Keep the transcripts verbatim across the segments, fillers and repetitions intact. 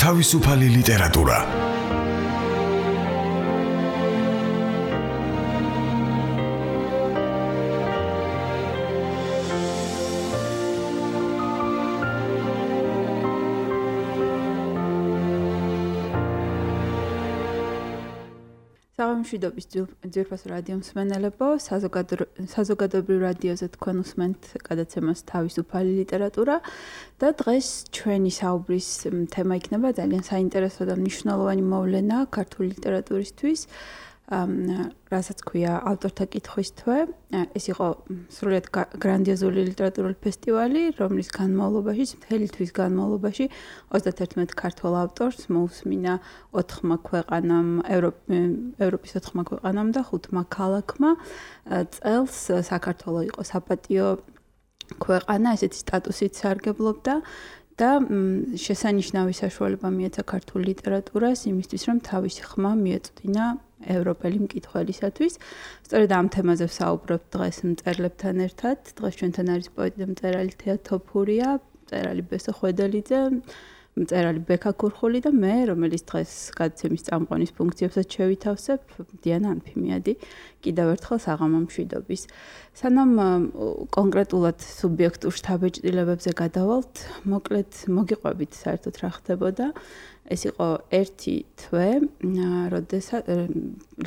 თავისუფალი ლიტერატურა. მშვიდობის ძვირფას რადიო მსმენელებო, საზოგადოებრივ რადიოზე თქვენ უსმენთ გადაცემას თავისუფალი ლიტერატურა და დღეს ჩვენი საუბრის თემა იქნება ძალიან საინტერესო და მნიშვნელოვანი მოვლენა ქართული ლიტერატურისთვის, რასაც ქვია ავტორთა კითხვის თვე. ეს იყო სრულიად გრანდიოზული ლიტერატურული ფესტივალი, რომლის განმავლობაში, მთელი თვის განმავლობაში ოცდათერთმეტ ქართველ ავტორს მოусმინა ოთხმა ქვეყანამ, ევროპის ოთხმა ქვეყანამ და ხუთმა ქალაქმა. წელს საქართველო იყო საპატიო ქვეყანა, ესეთი სტატუსით სარგებლობდა და შესანიშნავი საშუალება მიეცა ქართულ ლიტერატურას იმისთვის, რომ თავისი ხმა მიეწვდინა ევროპელი მკითხველისათვის. სწორედ ამ თემაზე ვსაუბრობთ დღეს მწერლებთან ერთად. დღეს ჩვენთან არის პოეტი და მწერალი თეა თოფურია, მწერალი ბესო ხვედელიძე, მწერალი ბექა ქურხული და მე, რომელიც დღეს გადაცემის წამყვანის ფუნქციებსაც შევითავსებ, დიანა ანფიმიადი. კიდევ ერთხელ საღამო მშვიდობის. სანამ კონკრეტულად სუბიექტურ შთაბეჭდილებებზე გადავალთ, მოკლედ მოგიყვებით საერთოდ რა ხდებოდა. ეს იყო ერთი თვე, როდესაც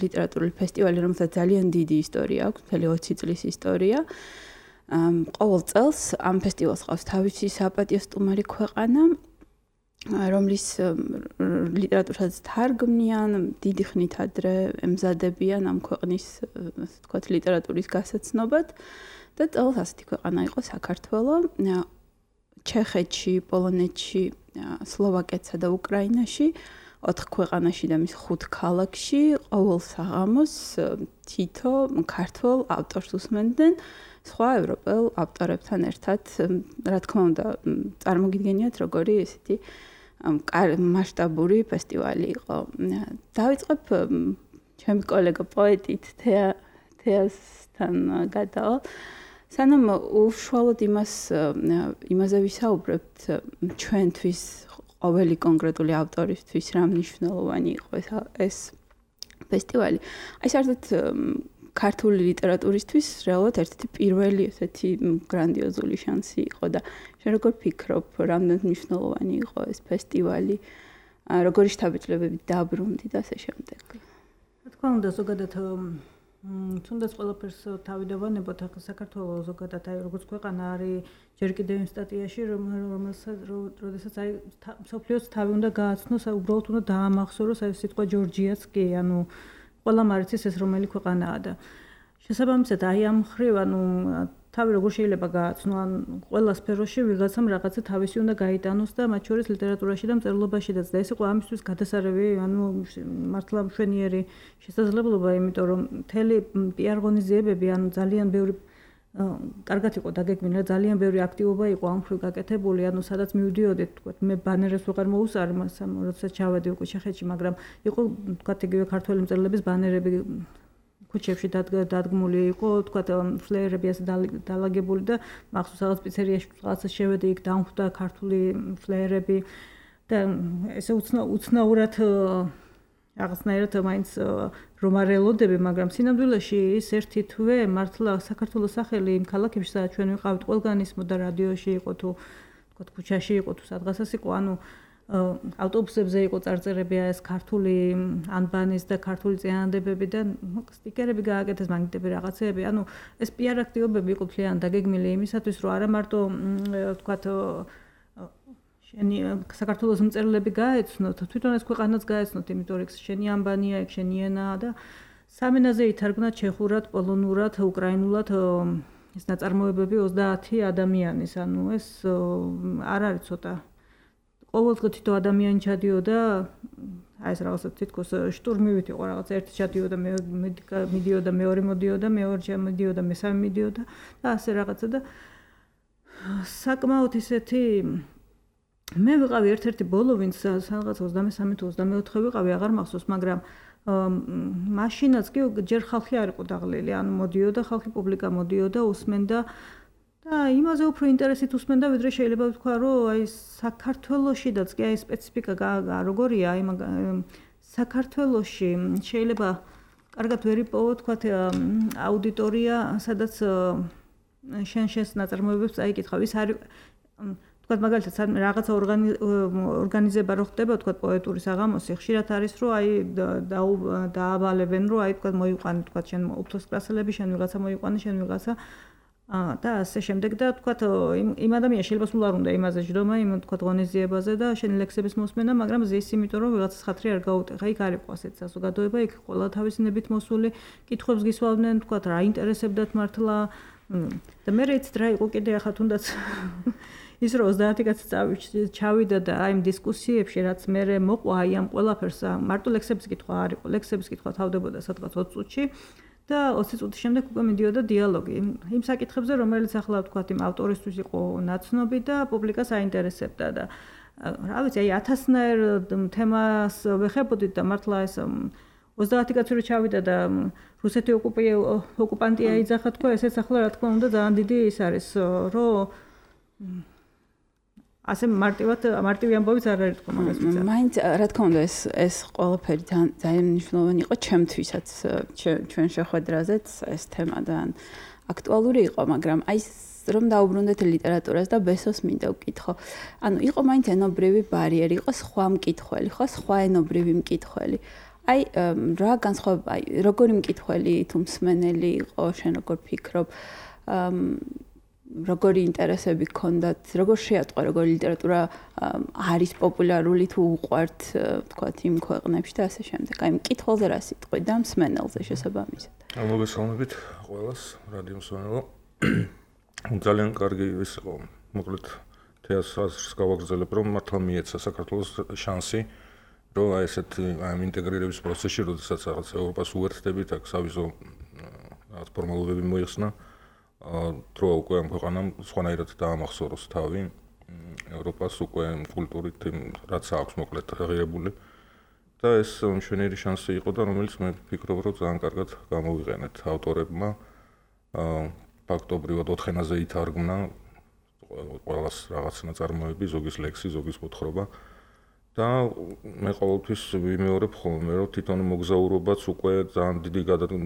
ლიტერატურული ფესტივალი, რომელსაც ძალიან დიდი ისტორია აქვს, მთელი ოცი წლის ისტორია. ყოველ წელს ამ ფესტივალს ყავს თავისი საპატიო სტუმარი ქვეყანა, რომლის ლიტერატურასაც თარგმნიან, დიდი ხნით ადრე ემზადებიან ამ ქვეყნის, ასე ვთქვათ, ლიტერატურის გასაცნობად და წელს ასეთი ქვეყანა იყო საქართველო. ჩეხეთში, პოლონეთში, სლოვაკეთსა და უკრაინაში, ოთხ ქვეყანაში და მის ხუთ ქალაქში ყოველ საღამოს თითო ქართველ ავტორს უსმენდნენ სხვა ევროპელ ავტორებთან ერთად. რა თქმა უნდა, წარმოგიდგენიათ, როგორი ესეთი მასშტაბური ფესტივალი იყო. დავიწყებ ჩემი კოლეგა პოეტით თეა თეასთან გადავალ. სანამ უშუალოდ იმას იმაზე ვისაუბრებთ, ჩვენთვის ყოველი კონკრეტული ავტორისთვის რა მნიშვნელოვანი იყო ეს ფესტივალი. აი საერთოდ ქართული ლიტერატურისთვის რეალურად ერთ-ერთი პირველი ესეთი გრანდიოზული შანსი იყო და შენ როგორ ფიქრობ, რამდენად მნიშვნელოვანი იყო ეს ფესტივალი, როგორი შთაბეჭდილებები დაბრუნდი და ასე შემდეგ. რა თქმა უნდა, ზოგადად თუნდაც ყველაფერს თავი დავანებოთ, ახლა საქართველოს ზოგადად აი როგორც ქვეყანა არის ჯერ კიდევ იმ სტატიაში, რომელსაც როდესაც აი მსოფლიოს თავი უნდა გააცნოს, აი უბრალოდ უნდა დაამახსოვროს აი სიტყვა ჯორჯიაც კი, ანუ ყველამ არიცის ეს რომელი ქვეყანაა და შესაბამისად აი ამ ხრივ ანუ თავი როგორ შეიძლება გააცნო, ან ყველა სფეროში ვიღაცამ რაღაცა თავისი უნდა გაიტანოს და მათ შორის ლიტერატურაში და მწერლობაშიც და ეს იყო ამისთვის გადასარევი, ანუ მართლა მშვენიერი შესაძლებლობა, იმიტომ რომ მთელი პიარ ღონისძიებები, ანუ ძალიან ბევრი კარგად იყო დაგეგმილი, ძალიან ბევრი აქტივობა იყო ამ ხრივ გაკეთებული, ანუ სადაც მივდიოდით, თქვა მე ბანერებს ვეღარ მოუსწარი, როდესაც ჩავედი უკვე ჩეხეთში, მაგრამ იყო თქვა იგივე ქართველი მწერლების ბანერები ქუჩებში დადგმული იყო, თქვა ფლეერები ასე დალაგებული და მახსოვს რაღაც პიცერიაში რაღაცა შევედი, იქ დამხვდა ქართული ფლეერები და ესე უცნაურად რაღაცნაირად მაინც რომ არ ელოდები, მაგრამ სინამდვილეში ის ერთი თვე მართლა საქართველოს სახელი იმ ქალაქებში, სადაც ჩვენ ვიყავით, ყველგან ისმოდა რადიოში იყო თუ თქვა ქუჩაში იყო თუ სადღაცას იყო, ანუ ავტობუსებზე იყო წარწერები ეს ქართული ანბანის და ქართული წინადადებები და სტიკერები გააკეთეს, მაგნიტები რაღაცეები. ანუ ეს პიარ აქტივობები იყო ძალიან დაგეგმილი იმისათვის, რომ არა მარტო ვთქვათ შენი საქართველოს მწერლები გაეცნოთ, თვითონ ეს ქვეყანაც გაეცნოთ, იმიტომ რომ შენი ანბანია, ეგ შენი ენაა და სამ ენაზე ითარგმნა ჩეხურად, პოლონურად, უკრაინულად ეს ნაწარმოებები ოცდაათი ადამიანის, ანუ ეს არ არის ცოტა. ყოველდღე თითო ადამიანი ჩადიოდა, აი ეს რაღაცა თითქოს შტურმივით იყო, რაღაცა ერთი ჩადიოდა, მე მიდიოდა, მეორე მოდიოდა, მეორე მიდიოდა, მესამე მიდიოდა და ასე რაღაცა და საკმაოდ ისეთი მე ვიყავი ერთ-ერთი ბოლო, ვინც რაღაც ოცდამესამე თუ ოცდამეოთხე ვიყავი, აღარ მახსოვს, მაგრამ მაშინაც კი ჯერ ხალხი არ იყო დაღლილი, ანუ მოდიოდა ხალხი, პუბლიკა მოდიოდა, უსმენდა და იმაზე უფრო ინტერესით უსმენდა, ვიდრე შეიძლება ვთქვა, რომ აი საქართველოშიდაც კი აი სპეციფიკა როგორია, აი საქართველოში შეიძლება კარგად ვერ იპოვო თქვა აუდიტორია, სადაც შენ შენს ნაწარმოებებს წაიკითხავ. ის არის თქვა მაგალითად რაღაცა ორგანიზება რო ხდება, თქვა პოეტური საღამოსი, ხშირად არის რომ აი დაავალებენ, რომ აი თქვა მოიყვანე, თქვა შენ უფლოს კლასელები, შენ ვიღაცა მოიყვანე, შენ ვიღაცა და ასე შემდეგ და თქვა იმ ადამიანს შეიძლება სულ არ უნდა იმაზე ჯდომა, იმ თქვა ღონისძიებაზე და შენი ლექსების მოსმენა, მაგრამ ზის იმიტომ რომ ვიღაცას ხათრი არ გაუტეხა. იქ არ იყო ასეთი საზოგადოება, იქ ყველა თავისნებით მოსული კითხვებს გისვავდნენ, თქვა რა ინტერესებდათ მართლა და მე რეც რა იყო კიდე ახლა თუნდაც ის რომ ოცდაათი კაცი ჩავიდა და აი იმ დისკუსიებში რაც მე მოყვა აი ამ ყველაფერს მარტო ლექსების კითხვა არ იყო, ლექსების კითხვა თავდებოდა სადღაც ოცი წუთში და ოცი წუთის შემდეგ უკვე მიდიოდა დიალოგი. იმ საკითხებზე, რომელიც ახლა ვთქვათ, იმ ავტორისთვის იყო ნაცნობი და პუბლიკას აინტერესებდა და რა ვიცი, აი ათასნაირ თემას ვეხებოდით და მართლა ეს ოცდაათი კაცი რო ჩავიდა და რუსეთი ოკუპანტია იძახა თქვა, ესეც ახლა რა თქმა უნდა ძალიან დიდი ის არის, რომ ასე მარტივად მარტივი ამბავიც არ არის თქო მაგას ვიცი. მაინც რა თქმა უნდა ეს ეს ყველაფერი ძალიან მნიშვნელოვანი იყო ჩემთვისაც, ჩვენ შეხვედრაზეც ეს თემა ძალიან აქტუალური იყო, მაგრამ აი რომ დაუბრუნდეთ ლიტერატურას და ბესოს მინდა ვკითხო. ანუ იყო მაინც ენობრივი ბარიერი, იყო სხვა მკითხველი, ხო, სხვა ენობრივი მკითხველი. აი რა განსხვავება, აი როგორი მკითხველი თუ მსმენელი იყო, შენ როგორ ფიქრობ? როგორი ინტერესები გქონდათ, როგორ შეატყო, როგორი ლიტერატურა არის პოპულარული თუ უყვართ, ვთქვათ, იმ ქვეყნებში და ასე შემდეგ. აი, მკითხველზე რა სიტყვი და მსმენელზე შესაბამისად. მოგესალმებით ყველას, რადიო მსმენელო. ძალიან კარგი ის იყო, მოკლედ თეატრს გავაგრძელებ, რომ მართლა მიეცა საქართველოს შანსი, რომ აი ესეთ აი ინტეგრირების პროცესში, როდესაც რაღაც ევროპას უერთდებით, აქ სავიზო რაღაც ფორმალობები მოიხსნა. დრო უკვე ამ ქვეყანამ სხვანაირად დაამახსოვროს თავი ევროპას უკვე კულტურით რაც აქვს მოკლედ ღირებული და ეს მშვენიერი შანსი იყო და რომელიც მე ვფიქრობ რომ ძალიან კარგად გამოვიყენეთ ავტორებმა ფაქტობრივად ოთხ ენაზე ითარგმნა ყველას რაღაც ნაწარმოები ზოგის ლექსი ზოგის მოთხრობა და მე ყოველთვის ვიმეორებ ხოლმე რომ თვითონ მოგზაურობაც უკვე ძალიან დიდი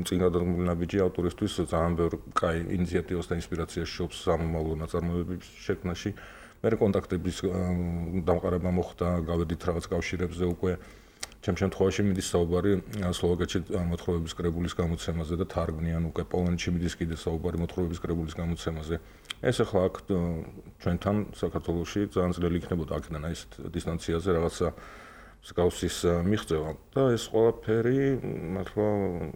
წინ გადადგმული ნაბიჯი ავტორისთვის ძალიან ბევრ კაი ინიციატივას და ინსპირაციას შობს სამომავლო ნაწარმოებების შექმნაში. მე კონტაქტების დამყარება მოხდა, გავედით რაღაც კავშირებზე უკვე ჩემ შემთხვევაში მიდის საუბარი სლოვაკეთში მოთხრობების კრებულის გამოცემაზე და თარგმნიან უკვე პოლონეთში მიდის კიდე საუბარი მოთხრობების კრებულის გამოცემაზე. ეს ახლა აქ ჩვენთან საქართველოში ძალიან ძნელი იქნებოდა აქედან აი ეს დისტანციაზე რაღაცა მსგავსის მიღწევა და ეს ყველაფერი მართლა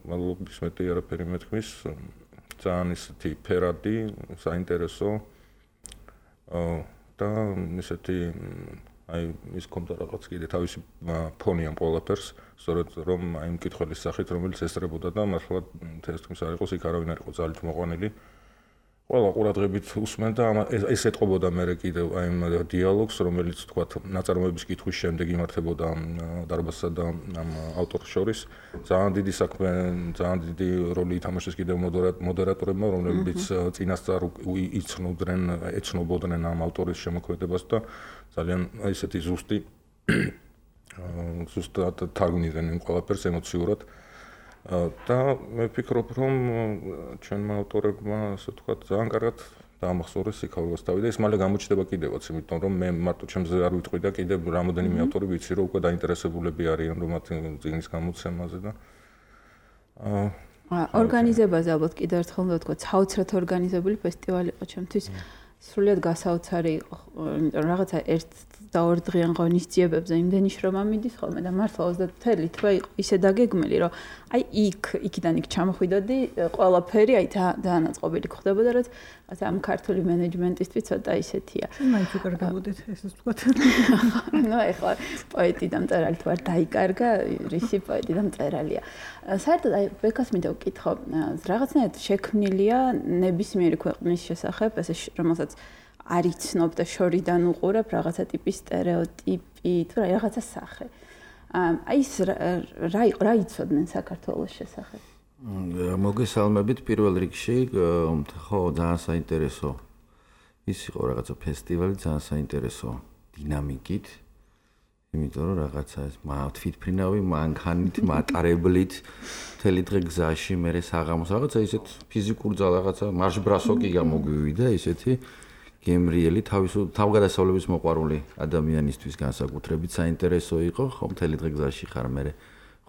მადლობის მეტი არაფერი მეთქმის ძალიან ისეთი ფერადი, საინტერესო და ისეთი აი ის კონტა რაღაც კიდე თავისი ფონი ამ ყველაფერს, სწორედ რომ აი მკითხველის სახით რომელიც ესწრებოდა და მართლა თესტმის არ იყოს იქ არავინ არ იყო ძალით მოყვანილი. ყველა ყურადღებით უსმენდა ეს ეთყობოდა მე კიდევ აი იმ დიალოგს რომელიც თქვათ ნაწარმოების კითხვის შემდეგ იმართებოდა დარბაზსა და ამ ავტორს შორის ძალიან დიდი საქმე ძალიან დიდი როლი ითამაშეს კიდევ მოდერატორებმა რომლებიც წინასწარ იცნობდნენ ეცნობოდნენ ამ ავტორის შემოქმედებას და ძალიან ისეთი ზუსტი ზუსტად თარგმნიდნენ იმ ყველაფერს ემოციურად და მე ვფიქრობ რომ ჩვენმა ავტორებმა ასე ვთქვათ ძალიან კარგად დაამახსოვრეს სიქარულას თავი და ეს მალე გამოჩნდება კიდევაც იმიტომ რომ მე მარტო ჩემზე არ ვიტყვი და კიდევ რამოდენიმე ავტორი ვიცი რომ უკვე დაინტერესებულები არიან რომ მათი წიგნის გამოცემაზე და ორგანიზებაზე ალბათ კიდევ ერთხელ უნდა ვთქვა საოცრად ორგანიზებული ფესტივალი იყო ჩემთვის სრულიად გასაოცარი იყო იმიტომ რომ რაღაცა ერთ და ორ დღიან ღონისძიებებზე იმდენი შრომა მიდის ხოლმე და მართლა ოცდაათი თვე იყო ისე დაგეგმილი რომ აი იქ იქიდან იქ ჩამოხვიდოდი ყველაფერი აი დაანაწყობილი ხდებოდა რაც ამ ქართული მენეჯმენტისთვის ცოტა ისეთია. მაინც უკარგავდეთ ესეც ვთქვათ. ნუ ეხლა პოეტი და მწერალი თუ არ დაიკარგა რისი პოეტი და მწერალია. საერთოდ აი ბეკას მინდა ვკითხო რაღაცნაირად შექმნილია ნებისმიერი ქვეყნის შესახებ ესე რომელსაც არ იცნობ და შორიდან უყურებ რაღაცა ტიპის სტერეოტიპი თუ რაღაცა სახე. აი ეს რა რა იცოდნენ საქართველოს შესახებ? მოგესალმებით პირველ რიგში, ხო ძალიან საინტერესო ის იყო რაღაცა ფესტივალი ძალიან საინტერესო დინამიკით. იმიტომ რომ რაღაცა ეს თვითფრინავი მანქანით, მატარებლით მთელი დღე გზაში მე საღამოს რაღაცა ისეთ ფიზიკურ ძალ რაღაცა მარშბრასოკი გამოგვივიდა ისეთი გემრიელი თავისუფლ თავგადასავლების მოყვარული ადამიანისთვის განსაკუთრებით საინტერესო იყო ხომ მთელი დღე გზაში ხარ მე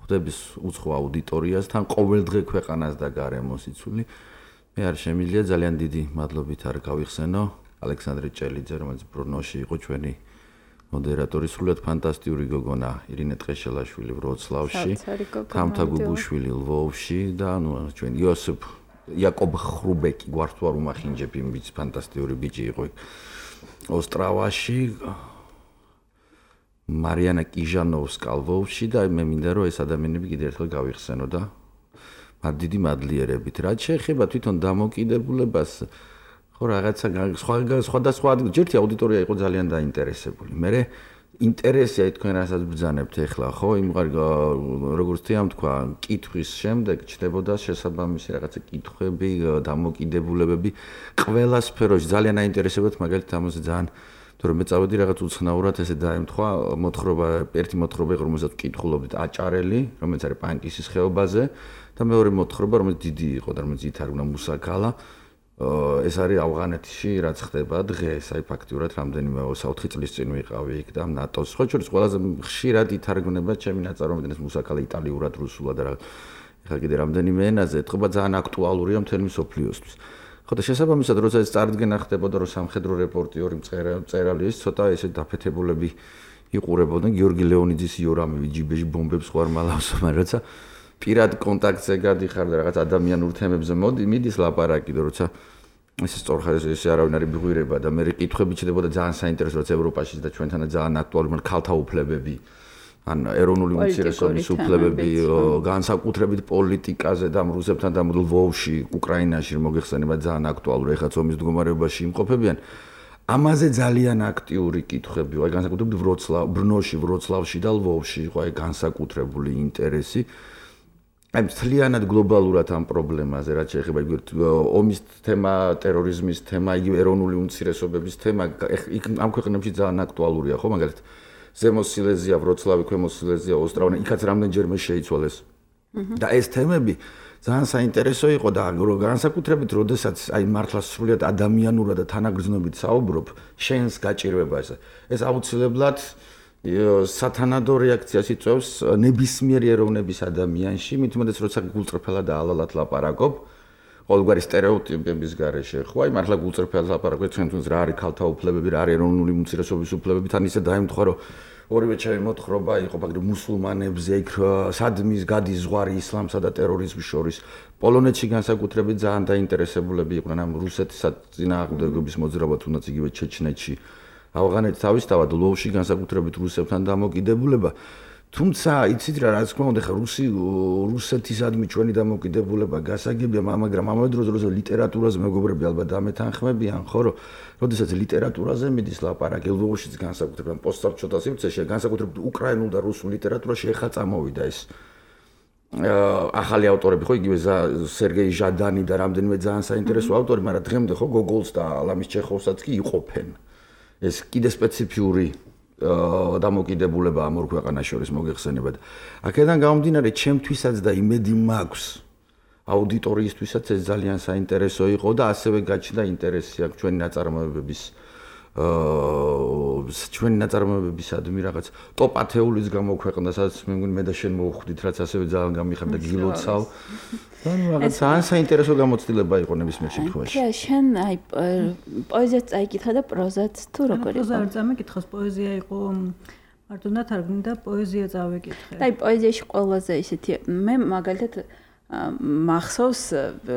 ხვდების უცხო აუდიტორიას თან ყოველდღე ქვეყანას და გარემოს იცული მე არ შემიძლია ძალიან დიდი მადლობით არ გავიხსენო ალექსანდრე ჭელიძე რომელიც ბრნოში იყო ჩვენი მოდერატორი სრულიად ფანტასტიკური გოგონა ირინე ტყეშელაშვილი ვროცლავში თამთა გუბუშვილი ლვოვში და ნუ ჩვენ იოსებ იაკობ ხრუბეკი გვართ ვარ უმახინჯებ იმ ბიჭს ფანტასტიკური ბიჭი იყო ოსტრავაში მარიანა კიჟანოვსკა ლვოვში და მე მინდა რომ ეს ადამიანები კიდევ ერთხელ გავიხსენო და მათ დიდი მადლიერებით რაც შეეხება თვითონ დამოკიდებულებას ხო რაღაცა სხვა სხვადასხვა ჯერთი აუდიტორია იყო ძალიან დაინტერესებული. მე ინტერესია თქვენ რასაც ბრძანებთ ახლა ხო იმ როგორც თეამ თქვა კითხვის შემდეგ ჩნდებოდა შესაბამისი რაღაცა კითხვები, დამოკიდებულებები ყველა სფეროში ძალიან აინტერესებდათ მაგალითად ამაზე ძალიან თორემ მე წავედი რაღაც უცნაურად ესე დაემთხვა მოთხრობა ერთი მოთხრობა იყო რომელსაც კითხულობდით აჭარელი რომელიც არის პანკისის ხეობაზე და მეორე მოთხრობა რომელიც დიდი იყო და რომელიც ითარგმნა მუსაკალა ეს არის ავღანეთში რაც ხდება დღეს აი ფაქტიურად რამდენიმე საოთხი წლის წინ ვიყავი იქ და ნატოს ხო შორის ყველაზე ხშირად ითარგმნება ჩემი ნაწარმოები ეს მუსაკალა იტალიურად რუსულად და ეხლა კიდე რამდენიმე ენაზე ეთქობა ძალიან აქტუალურია მთელი მსოფლიოსთვის ხო და შესაბამისად როცა ეს წარდგენა ხდებოდა რომ სამხედრო რეპორტიორი მწერალი ის ცოტა ესე დაფეთებულები იყურებოდნენ გიორგი ლეონიძის იორამი ჯიბეში ბომბებს ხوارმალავს მაგრამ რაცა პირად კონტაქტზე გადიხარ და რაღაც ადამიანურ თემებზე მოდი მიდის ლაპარაკი და როცა ეს სწორხარ ეს არავინ არის ბღვირება და მე კითხვები ჩდებოდა ძალიან საინტერესო რაც ევროპაში და ჩვენთანაც ძალიან აქტუალური მაგრამ ქალთა უფლებები ან ეროვნული უმცირესობის უფლებები განსაკუთრებით პოლიტიკაზე და რუსებთან და ლვოვში უკრაინაში მოგეხსენება ძალიან აქტუალური ეხლა ომის მდგომარეობაში იმყოფებიან ამაზე ძალიან აქტიური კითხვები აი განსაკუთრებით ვროცლავ ბრნოში ვროცლავში და ლვოვში იყო აი განსაკუთრებული ინტერესი აი მთლიანად გლობალურად ამ პრობლემაზე რაც შეეხება იგივე ომის თემა, ტერორიზმის თემა, იგივე ეროვნული უმცირესობების თემა ამ ქვეყნებში ძალიან აქტუალურია, ხო, მაგალითად ზემო სილეზია, ვროცლავი, ქვემო სილეზია, ოსტრავი, იქაც რამდენჯერმე შეიცვალეს. და ეს თემები ძალიან საინტერესო იყო და განსაკუთრებით როდესაც აი მართლა სრულიად ადამიანურად და თანაგრძნობით საუბრობ, შენს გაჭირვება ეს. ეს აუცილებლად სათანადო რეაქციას იწვევს ნებისმიერი ეროვნების ადამიანში, მით უმეტეს როცა გულწრფელად და ალალად ლაპარაკობ, ყოველგვარი სტერეოტიპების გარეშე, ხო, აი მართლა გულწრფელად ლაპარაკობ, ჩვენთვის რა არის ქალთა უფლებები, რა არის ეროვნული უმცირესობის უფლებები, თან ისე დაემთხვა, რომ ორივე ჩემი მოთხრობა იყო მაგალითად მუსულმანებზე, იქ სადმის გადის ზღვარი ისლამსა და ტერორიზმის შორის. პოლონეთში განსაკუთრებით ძალიან დაინტერესებულები იყვნენ ამ რუსეთის წინააღმდეგობის მოძრაობა, თუნდაც იგივე ჩეჩნეთში. ავღანეთი თავისთავად ლვოვში განსაკუთრებით რუსებთან დამოკიდებულება. თუმცა იცით რა, რა თქმა უნდა, ხა რუსი რუსეთისადმი ჩვენი დამოკიდებულება გასაგებია, მაგრამ ამავე დროს როცა ლიტერატურაზე მეგობრები ალბათ ამეთანხმებიან, ხო, რომ როდესაც ლიტერატურაზე მიდის ლაპარაკი, ლვოვშიც განსაკუთრებით პოსტსაბჭოთა სივრცეში, განსაკუთრებით უკრაინულ და რუსულ ლიტერატურაში ეხლა წამოვიდა ეს ახალი ავტორები, ხო, იგივე სერგეი ჟადანი და რამდენიმე ძალიან საინტერესო ავტორი, მაგრამ დღემდე ხო გოგოლს და ალამის ჩეხოვსაც კი იყოფენ. ეს კიდე სპეციფიური დამოკიდებულება ამ ორ ქვეყანას შორის მოგეხსენებათ. აქედან გამომდინარე, ჩემთვისაც და იმედი მაქვს აუდიტორიისთვისაც ეს ძალიან საინტერესო იყო და ასევე გაჩნდა ინტერესი აქ ჩვენი ნაწარმოებების აა ჩვენი ნაწარმოებებისადმი რაღაც ტოპ ათეულის გამოქვეყნდა, სადაც მე მგონი მე და შენ მოვხვდით, რაც ასევე ძალიან გამიხარდა გილოცავ. ანუ რაღაც ძალიან საინტერესო გამოცდილება იყო ნებისმიერ შემთხვევაში. კი, შენ აი პოეზიას წაიკითხა და პროზაც თუ როგორ იყო? პროზა არ წამიკითხავს, პოეზია იყო მარტო ნათარგმნი და პოეზია წავიკითხე. აი პოეზიაში ყველაზე ისეთი მე მაგალითად მახსოვს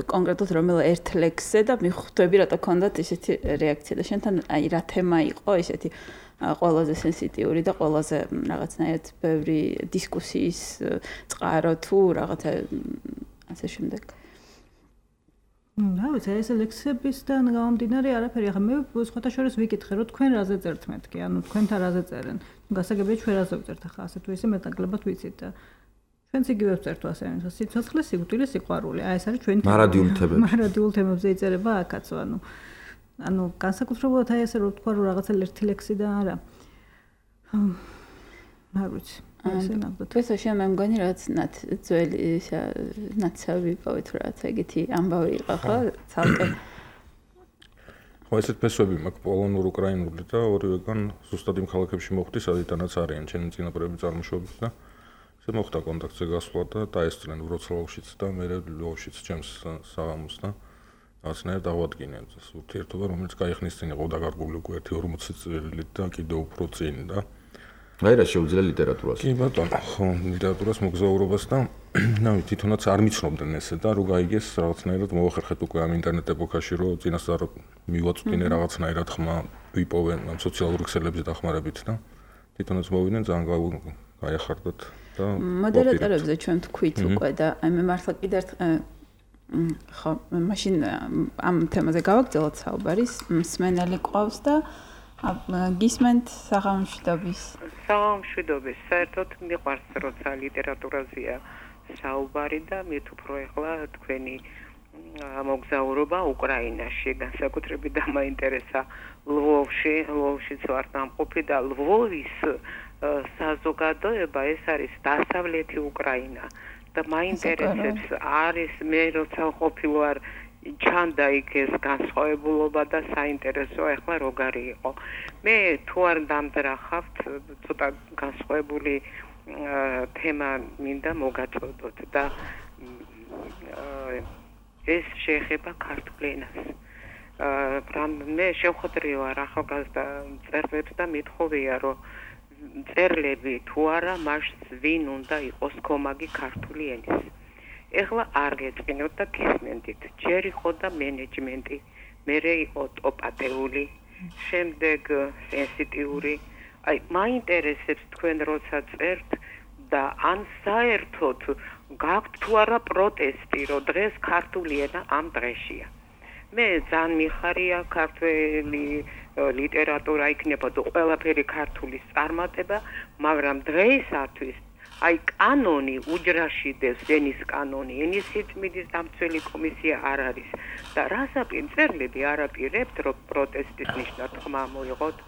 კონკრეტულად რომელ ერთ ლექსზე და მიხვდები რატო ქონდათ ისეთი რეაქცია და შენთან აი რა თემა იყო ისეთი ყველაზე სენსიტიური და ყველაზე რაღაცნაირად ბევრი დისკუსიის წყარო თუ რაღაცა ასე შემდეგ. რა ვიცი, ეს ლექსებისგან გამომდინარე არაფერი. ახლა მე სხვათა შორის ვიკითხე, რომ თქვენ რაზე წერთ მეთქი, ანუ თქვენთან რაზე წერენ. გასაგებია ჩვენ რაზე ვწერთ ახლა ასე თუ ისე მეტნაკლებად ვიცით და ჩვენც იგივე ვწერთ ასე, სიცოცხლე, სიკვდილი, სიყვარული. აი ეს არის ჩვენი მარადიულ თემებზე. მარადიულ თემებზე იწერება აქაც, ანუ ანუ განსაკუთრებულად აი ესე რომ თქვა რომ რაღაცა ერთი ლექსი და არა. არ ვიცი. ესე ნახოთ. ეს შეიძლება მე მგონი რაც ნათ ძველი ნაცავი პოვეთ რაც ეგეთი ამბავი იყო ხო? ცალკე ხო ესეთ ფესვები მაქვს პოლონურ უკრაინული და ორივეგან ზუსტად იმ ქალაქებში მოხვდი სადიდანაც არიან ჩემი წინაპრები წარმოშობით და ესე მოხდა კონტაქტზე გასვლა და დაესწრნენ ვროცლავშიც და მე ლვოვშიც ჩემს საღამოს და რაღაცნაირად დავადგინე ეს ურთიერთობა რომელიც გაიხსნის წინ იყო დაკარგული უკვე ერთი ორმოცი წელი და კიდევ უფრო წინ და აი რა შეუძლია ლიტერატურას. კი ბატონო, ხო, ლიტერატურას მოგზაურობას და ნავი თვითონაც არ მიცნობდნენ ესე და რო გაიგეს რაღაცნაირად მოახერხეთ უკვე ამ ინტერნეტ ეპოქაში რომ წინასწარ მივაწვდინე რაღაცნაირად ხმა ვიპოვენ ამ სოციალური ქსელებზე დახმარებით და თვითონაც მოვიდნენ ძალიან გაიახარდათ და მოდერატორებზე ჩვენ თქვით უკვე და აი მე მართლა კიდევ ხო, მაშინ ამ თემაზე გავაგრძელოთ საუბარი, მსმენელი ყავს და გისმენთ საღამოშვიდობის საღამოშვიდობის საერთოდ მიყვარს როცა ლიტერატურაზეა საუბარი და მით უფრო ეხლა თქვენი მოგზაურობა უკრაინაში განსაკუთრებით დამაინტერესა ლვოვში ლვოვშიც ვარ დამყოფი და ლვოვის საზოგადოება ეს არის დასავლეთი უკრაინა და მაინტერესებს არის მე როცა ყოფილვარ ჩანდა იქ ეს განსხვავებულობა და საინტერესო ახლა როგორი იყო. მე თუ არ დამძრახავთ ცოტა განსხვავებული თემა მინდა მოგაწოდოთ და ეს შეეხება ქართულ ენას. მე შევხვდრი ვარ ახალგაზრდა მწერლებს და მithოვია რომ მწერლები თუ არა მას ვინ უნდა იყოს კომაგი ქართული ენის. ეხლა არ გეწყინოთ და გისმენდით. ჯერ იყო და მენეჯმენტი, მერე იყო ტოპატეული, შემდეგ სენსიტიური. აი, მაინტერესებს თქვენ როცა წერთ და ან საერთოდ გაქვთ თუ არა პროტესტი, რომ დღეს ქართული ენა ამ დღეშია. მე ძალიან მიხარია ქართული ლიტერატურა იქნებოდა ყველაფერი ქართულის წარმატება, მაგრამ დღეისათვის აი კანონი უჯრაშიდევს ენის კანონი ენის სიწმინდის დამცველი კომისია არ არის და რასაპირ მწერლები არაპირებთ რომ პროტესტის ნიშნად ხმა მოიღოთ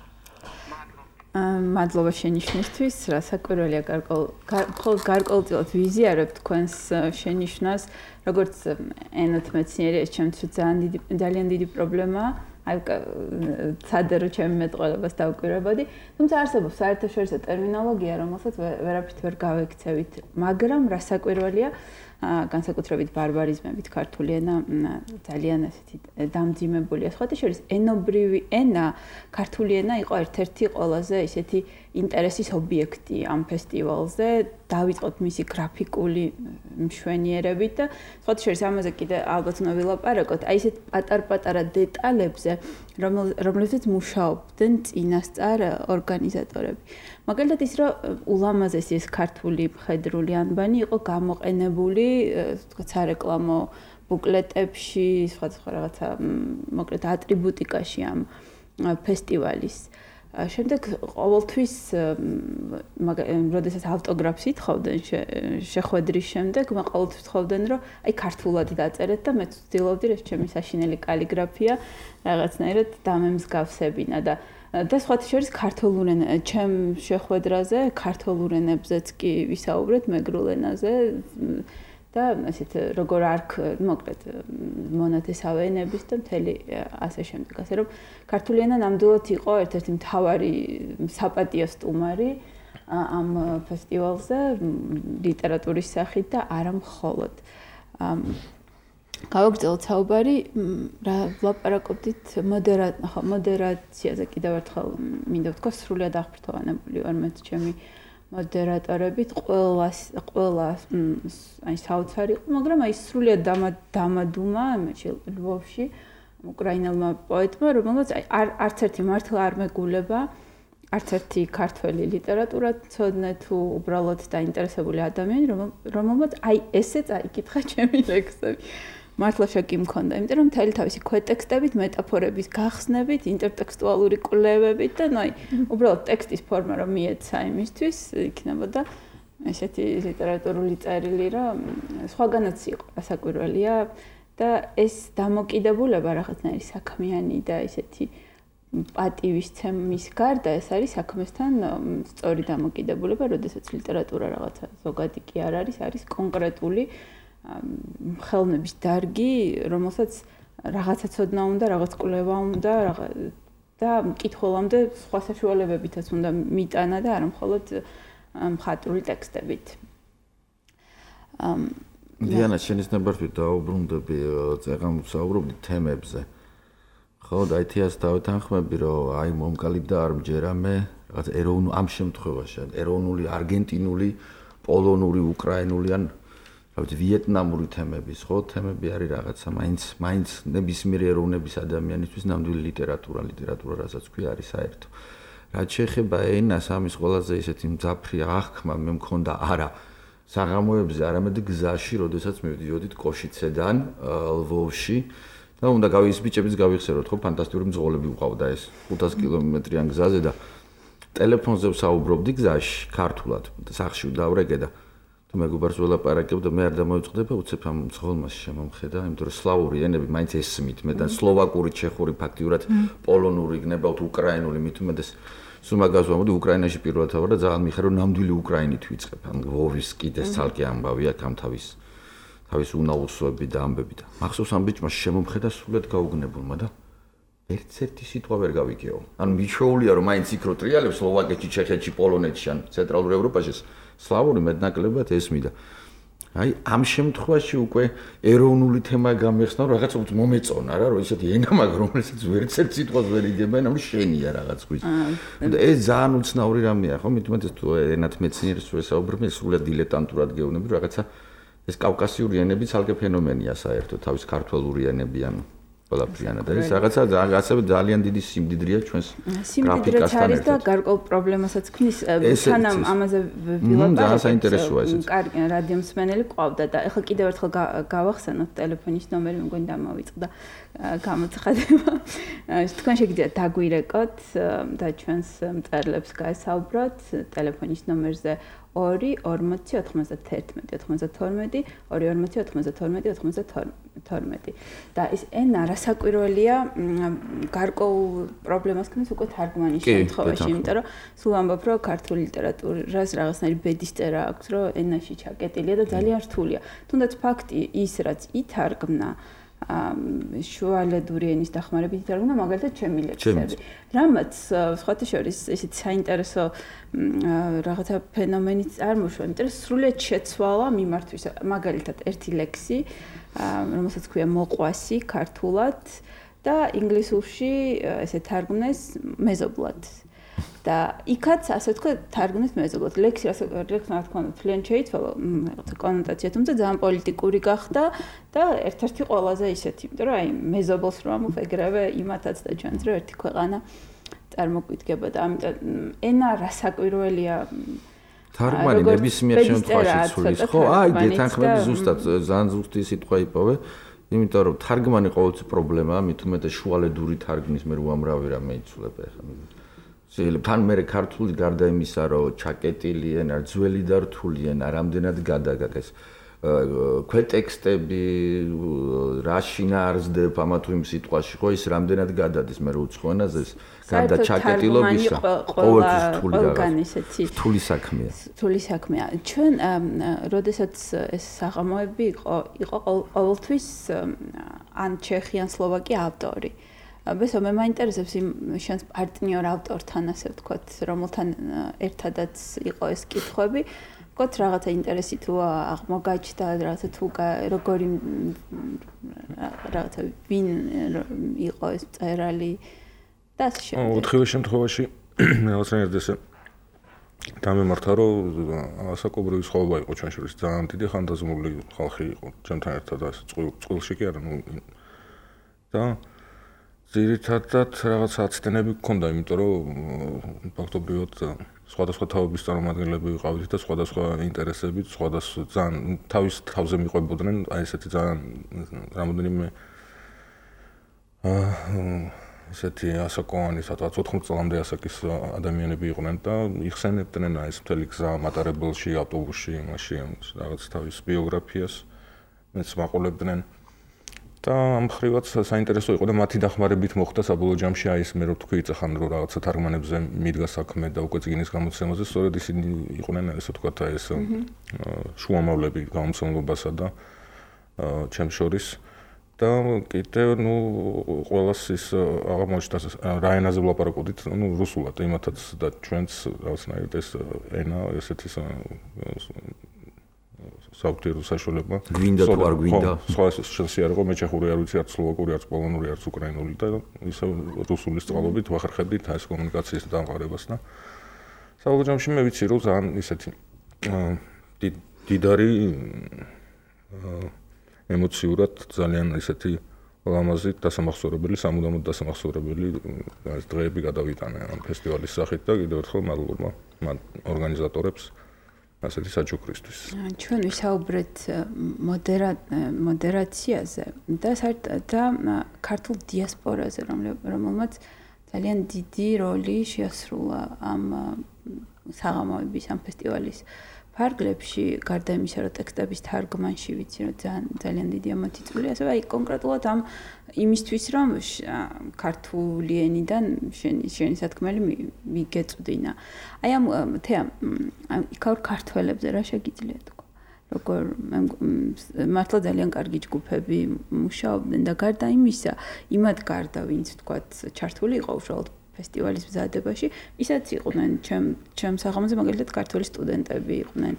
მადლობა შენიშვნისთვის რასაკვირველია გარკვეულ გარკვეულწილად ვიზიარებ თქვენს შენიშვნას როგორც ენოთ მეცნიერი ეს ჩემთვის ძალიან დიდი ძალიან დიდი პრობლემაა აი ცადერო ჩემი მეტყველებას დავკვირვებოდი თუმცა არსებობს საერთაშორისო ტერმინოლოგია რომელსაც ვერაფრით ვერ გავექცევით მაგრამ რასაკვირველია განსაკუთრებით ბარბარიზმებით ქართული ენა ძალიან ესეთი დამძიმებულია სხვათა შორის ენობრივი ენა ქართული ენა იყო ერთ-ერთი ყველაზე ისეთი ინტერესის ობიექტი ამ ფესტივალზე დავიწყოთ მისი გრაფიკული მშვენიერებით და სხვათა შორის ამაზე კიდე ალბათ უნდა ვილაპარაკოთ აი ესეთ პატარ-პატარა დეტალებზე რომლებზეც მუშაობდნენ წინასწარ ორგანიზატორები მაგალითად ის რომ ულამაზესი ეს ქართული მხედრული ანბანი იყო გამოყენებული თქვა სარეკლამო ბუკლეტებში სხვადასხვა რაღაცა მოკლედ ატრიბუტიკაში ამ ფესტივალის შემდეგ ყოველთვის როდესაც ავტოგრაფს ითხოვდნენ შეხვედრის შემდეგ მე ყოველთვის თხოვდნენ რომ აი ქართულად დაწერეთ და მე ვცდილობდი ეს ჩემი საშინელი კალიგრაფია რაღაცნაირად დამემსგავსებინა და და სხვათა შორის ქართულ ენა ჩემ შეხვედრაზე ქართულ ენებზეც კი ვისაუბრეთ მეგრულ ენაზე და ასეთ როგორ არქ მოკლედ მონათესავე ენების და მთელი ასე შემდეგ ასე რომ ქართული ენა ნამდვილად იყო ერთ-ერთი მთავარი საპატიო სტუმარი ამ ფესტივალზე ლიტერატურის სახით და არა მხოლოდ გავაგრძელოთ საუბარი რა ვლაპარაკობდით მოდერაციაზე კიდევ ერთხელ მინდა ვთქვა სრულიად აღფრთოვანებული ვარ მეც ჩემი მოდერატორებით ყველა ყველა აი საოცარი იყო მაგრამ აი სრულიად დამადუმა მე ლვოვში უკრაინელმა პოეტმა რომელსაც აი არც ერთი მართლა არ მეგულება არც ერთი ქართველი ლიტერატურა ცოდნე თუ უბრალოდ დაინტერესებული ადამიანი რომელმაც აი ესე წაიკითხა ჩემი ლექსები მართლა შეკი მქონდა იმიტომ რომ მთელი თავისი ქვეტექსტებით მეტაფორების გახსნებით ინტერტექსტუალური კვლევებით და ნუ აი უბრალოდ ტექსტის ფორმა რომ მიეცა იმისთვის იქნებოდა ესეთი ლიტერატურული წერილი რომ სხვაგანაც იყო ასაკვირველია და ეს დამოკიდებულება რაღაცნაირი საქმიანი და ესეთი პატივისცემის გარდა ეს არის საქმესთან სწორი დამოკიდებულება, როდესაც ლიტერატურა რაღაცა ზოგადი კი არ არის, არის კონკრეტული ხელოვნების დარგი, რომელსაც რაღაცა ცოდნა უნდა, რაღაც კვლევა უნდა, და მკითხველამდე სხვა საშუალებებითაც უნდა მიტანა და არა მხოლოდ მხატვრული ტექსტებით. დიანა, შენის ნებართვით დაუბრუნდები, წეგან ვსაუბრობდი თემებზე. ხო, და ითიას დავეთანხმები, რომ აი მომკალიბდა არ მჯერამე, რაღაც ეროვნული ამ შემთხვევაში, ეროვნული, არგენტინული, პოლონური, უკრაინული ან რა ვიცი, ვიეტნამური თემების, ხო, თემები არის რაღაცა, მაინც, მაინც ნებისმიერი ეროვნების ადამიანისთვის ნამდვილი ლიტერატურა, ლიტერატურა, რასაც ქვია, არის საერთო. რაც შეეხება ენას, ამის ყველაზე ისეთი მძაფრი აღქმა მე მქონდა არა საღამოებზე, არამედ გზაში, როდესაც მივდიოდით კოშიცედან ლვოვში. და უნდა გავის ბიჭებიც გავიხსენოთ, ხო, ფანტასტიკური მძღოლები ვყავდა ეს ხუთას კილომეტრიან გზაზე და ტელეფონზე ვსაუბრობდი გზაში, ქართულად, სახში ვდავრეკე და თუ მეგობარს ველაპარაკებ და მე არ დამოიწყდება, უცებ ამ მძღოლმა შემომხედა, იმიტომ რომ სლავური ენები მაინც ესმით, მე და სლოვაკური, ჩეხური ფაქტიურად პოლონური გნებავთ, უკრაინული, მით უმეტეს სულ მაგას ვამბობდი, უკრაინაში პირველად ვარ და ძალიან მიხარ რომ ნამდვილი უკრაინით ვიწყებ, ან ლვოვის კიდეს ცალკე ამბავი აქ ამ თავის თავის უნაუსოები და ამბები და მახსოვს ამ ბიჭმა შემომხედა სულად გაუგნებულმა და ერთ-ერთი სიტყვა ვერ გავიგეო. ანუ მიჩვეულია რომ მაინც იქ რო ტრიალებს სლოვაკეთში, ჩეხეთში, პოლონეთში ან ცენტრალურ ევროპაში სლავური მეტნაკლებად ესმიდა. აი ამ შემთხვევაში უკვე ეროვნული თემა გამეხსნა, რაღაც უფრო მომეწონა რა, რომ ისეთი ენა მაგ რომელსაც ვერცერთ სიტყვას ვერ იგებენ, ანუ შენია რაღაც ხვიც. და ეს ძალიან უცნაური რამეა, ხო? მით უმეტეს თუ ენათ მეცნიერს ვესაუბრებ, სულად დილეტანტურად გეუბნები, რაღაცა ეს კავკასიური ენები ცალკე ფენომენია საერთოდ, თავის ქართველური ენები ან ყველაფრიანა და ეს რაღაცა ასევე ძალიან დიდი სიმდიდრეა ჩვენს გრაფიკასთან ერთად. და გარკვეულ პრობლემასაც ქმნის, თანამ ამაზე ვილაპარაკეთ. საინტერესოა ესეც. კარგი, რადიო მსმენელი ყავდა და ეხლა კიდევ ერთხელ გავახსენოთ ტელეფონის ნომერი, მგონი დამოვიწყდა გამოცხადება. თქვენ შეგიძლიათ დაგვირეკოთ და ჩვენს მწერლებს გაესაუბროთ ტელეფონის ნომერზე ორი ორმოცი ოთხმოცდათერთმეტი ოთხმოცდათორმეტი ორი ორმოცი ოთხმოცდათორმეტი ოთხმოცდათორმეტი და ეს ენა რასაკვირველია გარკვეულ პრობლემას ქმნის უკვე თარგმანის შემთხვევაში, იმიტომ რომ სულ ამბობ რომ ქართული ლიტერატურას რაღაცნაირი ბედის წერა აქვს, რომ ენაში ჩაკეტილია და ძალიან რთულია. თუნდაც ფაქტი ის რაც ითარგმნა შუალედური ენის დახმარებით ითარგმნა მაგალითად ჩემი ლექსები. რამაც სხვათა შორის ისეთი საინტერესო რაღაცა ფენომენი წარმოშვა, იმიტომ რომ სრულიად შეცვალა მიმართვის მაგალითად ერთი ლექსი, რომელსაც ქვია მოყვასი ქართულად და ინგლისურში ესე თარგმნეს მეზობლად. და იქაც ასე თქვა თარგმნეს მეზობლად. ლექსი ასე ლექსი რა თქმა უნდა ძალიან შეიცვალა, რაღაცა კონოტაცია, თუმცა ძალიან პოლიტიკური გახდა და ერთ-ერთი ყველაზე ისეთი, იმიტომ რომ აი მეზობლს რომ ამოვ ეგრევე იმათაც და ჩვენც რომ ერთი ქვეყანა წარმოგვიდგება და ამიტომ ენა რასაკვირველია თარგმანი ნებისმიერ შემთხვევაში ცulis, ხო? აი დეთანხმები ზუსტად ძალიან ზუსტი სიტყვა იპოვე, იმიტომ რომ თარგმანი ყოველთვის პრობლემაა, მით უმეტეს შუალედური თარგმნის მე უამრავი რამე იცვლება ახლა. შეიძლება თან მე ქართული გარდა იმისა, რომ ჩაკეტილი ენა, ძველი და რთული ენა, რამდენად გადაგაკეს ქვეტექსტები, რა შინაარსდებ ამა თუ იმ სიტყვაში, ხო ის რამდენად გადადის მე უცხო ენაზე ეს გარდა ჩაკეტილობისა, ყოველთვის რთული რაღაცა. რთული საქმეა. რთული საქმეა. ჩვენ როდესაც ეს საღამოები იყო, იყო ყოველთვის ან ჩეხი ან სლოვაკი ავტორი. ბესო მე მაინტერესებს იმ შენს პარტნიორ ავტორთან ასე ვთქვათ, რომელთან ერთადაც იყო ეს კითხვები. ვთქვათ რაღაცა ინტერესი თუ აღმოგაჩნდა, რაღაცა თუ როგორი რაღაცა ვინ იყო ეს წერალი და ასე შემდეგ. ოთხივე შემთხვევაში რაღაცნაირად ესე დამემართა, რომ ასაკობრივი სხვაობა იყო ჩვენ შორის, ძალიან დიდი ხანდაზმული ხალხი იყო ჩემთან ერთად ასე წყვილში კი არა, ნუ და ძირითადად რაღაც აცდენები გქონდა, იმიტომ რომ ფაქტობრივად სხვადასხვა თაობის წარმომადგენლები ვიყავით და სხვადასხვა ინტერესებით, სხვადასხვა ძალიან თავის თავზე მიყვებოდნენ, აი ესეთი ძალიან რამოდენიმე აა ესეთი ასაკოვანი, სადღაც ოთხმოცი წლამდე ასაკის ადამიანები იყვნენ და იხსენებდნენ აი ეს მთელი გზა მატარებელში, ავტობუსში, იმაში რაღაც თავის ბიოგრაფიას მეც მაყოლებდნენ. და ამ ხრივაც საინტერესო იყო და მათი დახმარებით მოხდა საბოლოო ჯამში აი ეს მე რო თქვი იცახან რომ რაღაცა თარგმანებზე მიდგა საქმე და უკვე წიგნის გამოცემაზე სწორედ ისინი იყვნენ ესე ვთქვათ აი ეს შუამავლები გამომცემლობასა და ჩემ შორის და კიდევ ნუ ყველას ის აღმოჩნდა რა ენაზე ვლაპარაკობდით ნუ რუსულად იმათაც და ჩვენც რაღაცნაირად ეს ენა ესეთი საერთო საშუალება გვინდა თუ არ გვინდა სხვა შესაძლოა რომ მე ჩეხური არ ვიცი არც სლოვაკური არც პოლონური არც უკრაინული და ისე რუსული სწავლობით ვახერხებდით ეს კომუნიკაციის დამყარებას და საბოლოო ჯამში მე ვიცი რომ ძალიან ისეთი დიდარი ემოციურად ძალიან ისეთი ლამაზი დასამახსოვრებელი სამუდამოდ დასამახსოვრებელი დღეები გადავიტანე ამ ფესტივალის სახით და კიდევ ერთხელ მადლობა მან ორგანიზატორებს ასეთი საჩუქრისთვის. ჩვენ ვისაუბრეთ მოდერაციაზე და საერთოდ და ქართულ დიასპორაზე, რომელმაც ძალიან დიდი როლი შეასრულა ამ საღამოების ამ ფესტივალის ფარგლებში, გარდა იმისა, რომ ტექსტების თარგმანში ვიცი, რომ ძალიან ძალიან დიდი ამათი წვლილი, ასევე აი კონკრეტულად ამ იმისთვის, რომ ქართული ენიდან შენი შენი სათქმელი მიგეწვდინა. აი ამ თეამ იქაურ ქართველებზე რა შეგიძლია თქვა? როგორ მართლა ძალიან კარგი ჯგუფები მუშაობდნენ და გარდა იმისა, იმად გარდა, ვინც თქვათ, ჩართული იყო უშუალოდ ფესტივალის მზადებაში, ისაც იყვნენ ჩემ ჩემ საღამოზე მაგალითად ქართველი სტუდენტები იყვნენ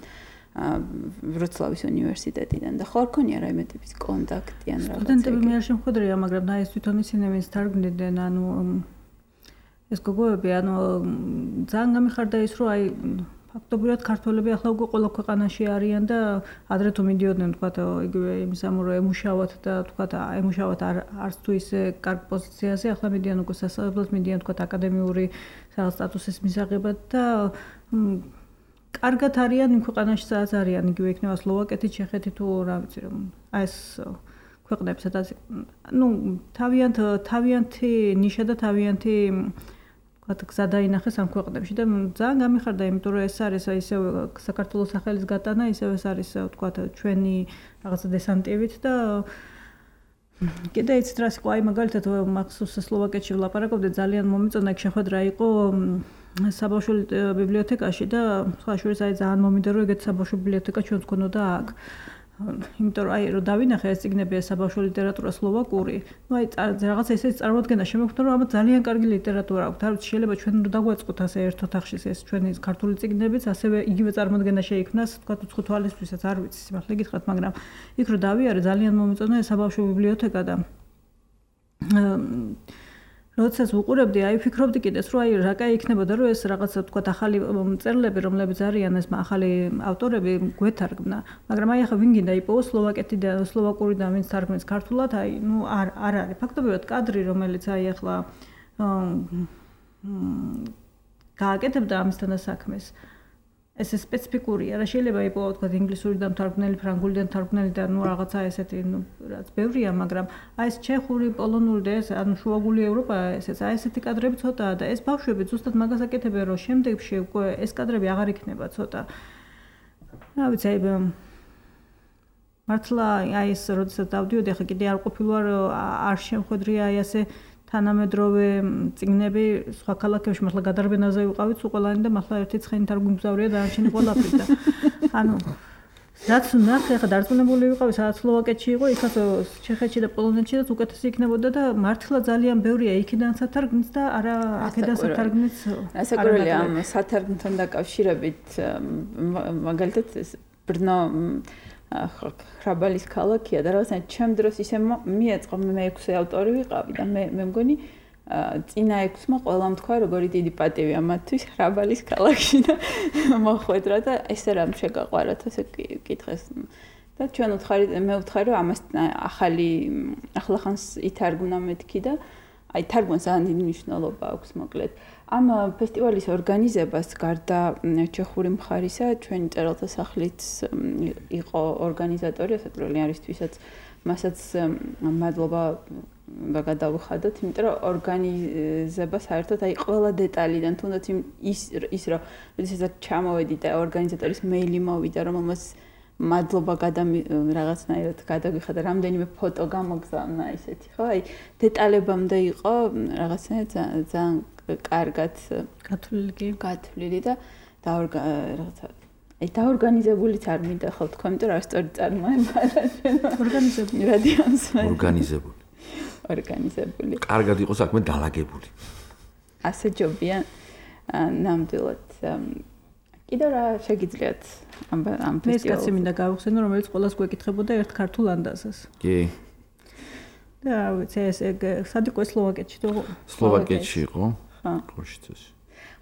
ვროცლავის უნივერსიტეტიდან და ხო არ ქონია რაიმე ტიპის კონტაქტი ან რაღაცა. სტუდენტები მე არ შემხვედრია, მაგრამ და ეს თვითონ ისინი ვინც თარგმნიდნენ, ანუ ეს გოგოები, ანუ ძალიან გამიხარდა ის, რომ აი ფაქტობრივად ქართველები ახლა უკვე ყველა ქვეყანაში არიან და ადრე თუ მიდიოდნენ თქვათ იგივე იმის ამ რომ ემუშავათ და თქვათ ემუშავათ არც თუ ისე კარგ პოზიციაზე ახლა მიდიან უკვე სასწავლებლად მიდიან თქვათ აკადემიური რაღაც სტატუსის მისაღებად და კარგად არიან იმ ქვეყანაში სადაც არიან იგივე იქნება სლოვაკეთი, ჩეხეთი თუ რა ვიცი რომ აი ეს ქვეყნები სადაც ნუ თავიანთ თავიანთი ნიშა და თავიანთი გზა დაინახეს ამ ქვეყნებში და ძალიან გამიხარდა, იმიტომ რომ ეს არის ისევ საქართველოს სახელის გატანა, ისევ ეს არის ვთქვათ ჩვენი რაღაცა დესანტივით და კიდე იცით რა იყო, აი მაგალითად მახსოვს სლოვაკეთში ვლაპარაკობდით, ძალიან მომიწონა იქ შეხვედრა იყო საბავშვო ბიბლიოთეკაში და სხვა შორის აი ძალიან მომინდა რომ ეგეთ საბავშვო ბიბლიოთეკა ჩვენც გქონოდა აქ. იმიტომ რომ აი რომ დავინახე ეს წიგნები საბავშვო ლიტერატურა სლოვაკური, ну აი რაღაცა ისეთი წარმოადგენა შემოგვხვდა რომ ამათ ძალიან კარგი ლიტერატურა აქვს. არ ვიცი შეიძლება ჩვენ რომ დაგვაწყოთ ასე ერთ ოთახში ეს ჩვენი ქართული წიგნებიც, ასევე იგივე წარმოადგენა შეიქმნას, თქვა უცხო თვალისთვისაც არ ვიცი, სიმართლე გითხრათ, მაგრამ იქ რომ დავიარე ძალიან მომეწონა ეს საბავშვო ბიბლიოთეკა და როდესაც ვუყურებდი, აი ვფიქრობდი კიდეც, რომ აი რა კაი იქნებოდა, რომ ეს რაღაცა თქვა ახალი მწერლები, რომლებიც არიან ეს ახალი ავტორები გვეთარგმნა, მაგრამ აი ახლა ვინ გინდა იპოვოს სლოვაკეთიდან, სლოვაკურიდან ვინც თარგმნის ქართულად, აი ნუ არ არ არის. ფაქტობრივად კადრი, რომელიც აი ახლა გააკეთებდა ამისთან საქმეს. ეს სპეციფიკურია, რა შეიძლება იპოვო თქვა ინგლისურიდან თარგმნელი, ფრანგულიდან თარგმნელი და ნუ რაღაცა ესეთი, ნუ რაც ბევრია, მაგრამ აი ეს ჩეხური, პოლონური და ეს ანუ შუაგული ევროპა, ესეც აი ესეთი კადრები ცოტაა და ეს ბავშვები ზუსტად მაგას აკეთებენ, რომ შემდეგში უკვე ეს კადრები აღარ იქნება ცოტა. რა ვიცი, აი მართლა აი ეს როდესაც დავდიოდი, ახლა კიდე არ ყოფილვარ, არ შემხვედრია აი ასე თანამედროვე წიგნები სხვა ქალაქებში, მართლა გადარბენაზე ვიყავით უყოლანი და მართლა ერთი ცხენი თარგმნიგზავრია დანარჩენი ყველაფერი და ანუ რაც ნახე, ახლა დარწმუნებული ვიყავი, სადაც სლოვაკეთში იყო, იქაც ჩეხეთში და პოლონეთშიც უკეთესი იქნებოდა და მართლა ძალიან ბევრია იქიდან სათარგმნიც და არა აქედან სათარგმნიც. ასაკურველი ამ სათარგმნთან დაკავშირებით მაგალითად ბრნო ხრაბალის ქალაქია და რაღაცა ჩემ დროს ისე მიეწყო, მე მეექვსე ავტორი ვიყავი და მე მე მგონი წინა ექვსმა ყველამ თქვა როგორი დიდი პატივია მათთვის ხრაბალის ქალაქში და მოხვედრა და ესე რამ შეგაყვარათ ასე კითხეს და ჩვენ ვთხარი მე ვთხარი რომ ამას ახალი ახლახანს ითარგმნა მეთქი და აი თარგმანს ძალიან დიდი მნიშვნელობა აქვს მოკლედ. ამ ფესტივალის ორგანიზებას გარდა ჩეხური მხარისა, ჩვენი მწერალთა სახლიც იყო ორგანიზატორი, ასაკურველი არისთვისაც მასაც მადლობა გადავუხადოთ, იმიტომ რომ ორგანიზება საერთოდ აი ყველა დეტალიდან, თუნდაც ის ის რომ როდესაც ჩამოვედი და ორგანიზატორის მეილი მოვიდა, რომელმაც მადლობა გადამი რაღაცნაირად გადაგიხადა რამდენიმე ფოტო გამოგზავნა ისეთი ხო აი დეტალებამდე იყო რაღაცნაირად ძალიან კარგად გათვლილი კი გათვლილი და რაღაცა აი დაორგანიზებულიც არ მინდა ხო თქვა იმიტომ რომ სწორი წარმოება ორგანიზებული რადიოს ორგანიზებული ორგანიზებული კარგად იყო საქმე დალაგებული ასე ჯობია ნამდვილად კიდევ რა შეგიძლიათ ამ ამ ფესტივალზე? მე კაცი მინდა გავხსენო, რომელიც ყველას გვეკითხებოდა ერთ ქართულ ანდაზას. კი. და ვიცი ეს სად იყო სლოვაკეთში თუ სლოვაკეთში იყო? ხო. კოშიცაში.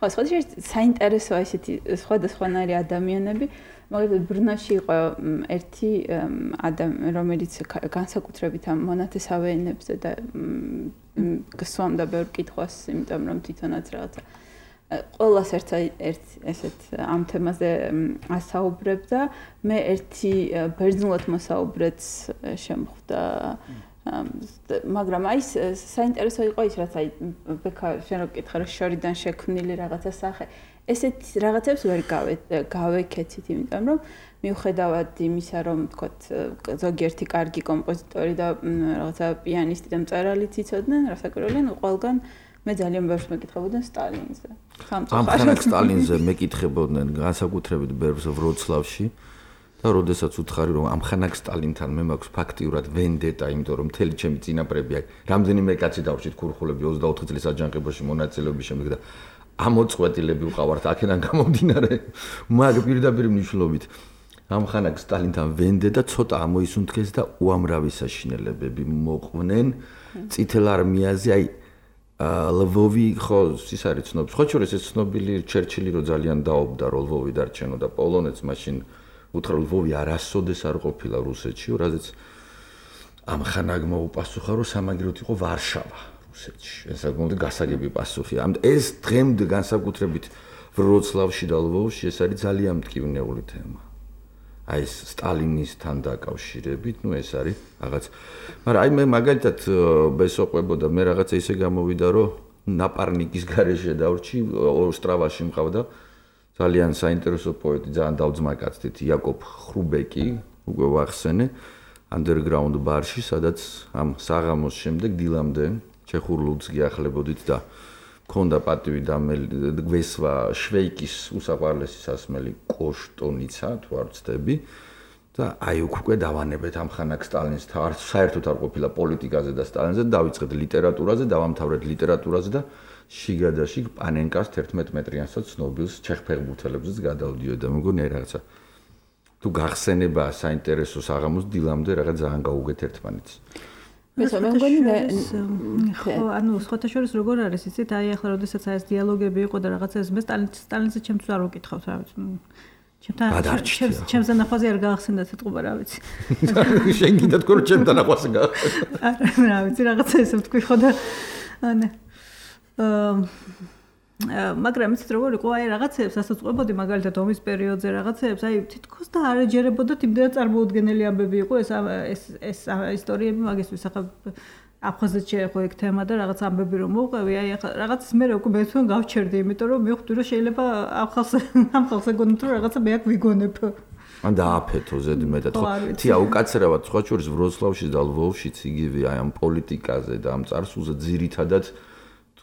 ხო, სხვადასხვა საინტერესოა ისეთი სხვადასხვანაირი ადამიანები, მაგალითად ბრნაში იყო ერთი ადამიანი, რომელიც განსაკუთრებით ამ მონათესავე ენებზე და გსვამდა ბევრ კითხვას, იმიტომ რომ თვითონაც რაღაცა ყველას ერთ ერთ ესეთ ამ თემაზე ასაუბრებდა მე ერთი ბერძნულად მოსაუბრეც შემხვდა მაგრამ აი საინტერესო იყო ის რაც აი ბექა შენ რო კითხე რომ შორიდან შექმნილი რაღაცა სახე ესეთ რაღაცებს ვერ გავეკეთით იმიტომ რომ მიუხედავად იმისა რომ თქოთ ზოგიერთი კარგი კომპოზიტორი და რაღაცა პიანისტი და მწერალიც იცოდნენ რასაკვირველია ყველგან მე ძალიან ბევრს მეკითხებოდნენ სტალინზე. ამხანაგ სტალინზე მეკითხებოდნენ განსაკუთრებით ბევრს ვროცლავში და როდესაც უთხარი რომ ამხანაგ სტალინთან მე მაქვს ფაქტიურად ვენდეტა, იმიტომ რომ მთელი ჩემი წინაპრები აი რამდენიმე კაცი დავშით ქურხულები ოცდაოთხი წლის აჯანყებაში მონაწილეობის შემდეგ და ამოწყვეტილები ვყავართ აქედან გამომდინარე მაგ პირდაპირ მნიშვნელობით ამხანაგ სტალინთან ვენდეტა ცოტა ამოისუნთქეს და უამრავი საშინელებები მოყვნენ წითელ არმიაზე აი ლვოვი ხო ის არის ცნობილი. ხო შორის ეს ცნობილი ჩერჩილი რო ძალიან დაობდა რომ ლვოვი დარჩენო და პოლონეთს მაშინ უთხრა ლვოვი არასოდეს არ ყოფილა რუსეთში, რაზეც ამხანაგ მოუპასუხა რომ სამაგიეროდ იყო ვარშავა რუსეთში. ეს საკმაოდ გასაგები პასუხია. ამ ეს დღემდე განსაკუთრებით ვროცლავში და ლვოვში ეს არის ძალიან მტკივნეული თემა. აი ეს სტალინისთან დაკავშირებით, ну ეს არის რაღაც. მაგრამ აი მე მაგალითად ბესოყვებოდა მე რაღაცა ისე გამოვიდა, რომ ნაპარნიკის გარეშე დავრჩი, ოსტრავაში მყავდა ძალიან საინტერესო პოეტი, ძალიან დავძმაკაცდით, იაკობ ხრუბეკი, უკვე ვახსენე, underground ბარში, სადაც ამ საღამოს შემდეგ დილამდე ჩეხურ ლუდს გიახლებოდით და ქონდა პატივი და გვესვა შვეიკის უსაყვარლესი სასმელი კოშტონიცა თუ არ ვცდები და აი უკვე დავანებეთ ამხანაგ სტალინს არც საერთოდ არ ყოფილა პოლიტიკაზე და სტალინზე დავიწყეთ ლიტერატურაზე დავამთავრეთ ლიტერატურაზე და შიგადაშიგ პანენკას თერთმეტ მეტრიანსაც ცნობილს ჩეხფეხბურთელებზეც გადავდიოდა და მეგონი აი რაღაცა თუ გახსენება საინტერესო საღამოს დილამდე რაღაც ძალიან გაუგეთ ერთმანეთს მე მგონი ხო ანუ სხვათა შორის როგორ არის იცით აი ახლა როდესაც აი ეს დიალოგები იყო და რაღაცა ეს მე სტალინზე ჩემთვის არ ვკითხავთ რა ვიცი ჩემთან ჩემს ნახვაზე არ გაახსენდა თეთყობა რა ვიცი შენ კიდე თქო რომ ჩემთან ნახვაზე გაახსენდა რა ვიცი რაღაცა ესე ვთქვი ხო და ანა მაგრამ იცით როგორ იყო აი რაღაცებს ასაც ყვებოდი მაგალითად ომის პერიოდზე რაღაცებს აი თითქოს და არ ეჯერებოდა იმდენად წარმოუდგენელი ამბები იყო ეს ეს ეს ისტორიები მაგისთვის ახლა აფხაზეთში იყო ეგ თემა და რაღაც ამბები რომ მოვყვევი აი ახლა რაღაცის მე უკვე მეცვენ გავჩერდი იმიტომ რომ მივხვდი რომ შეიძლება ამ ხალხს ამ ხალხს ეგონოთ რომ რაღაცა მე აქ ვიგონებ ან დააფეთო ზედმეტად ხო თია უკაცრავად სხვა შორის ვროცლავში და ლვოვშიც იგივე აი ამ პოლიტიკაზე და ამ წარსულზე ძირითადად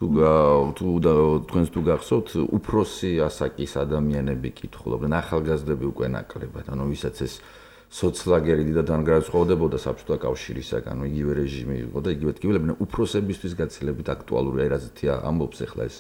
თუ თუ თქვენს თუ გახსოვთ უფროსი ასაკის ადამიანები კითხულობდნენ ახალგაზრდები უკვე ნაკლებად ანუ ვისაც ეს სოცლაგერი და დანგრაცხოვდებოდა საბჭოთა კავშირისაგან ანუ იგივე რეჟიმი იყო და იგივე ტკივილებდნენ უფროსებისთვის გაცილებით აქტუალური აი რაზეთია ამბობს ახლა ეს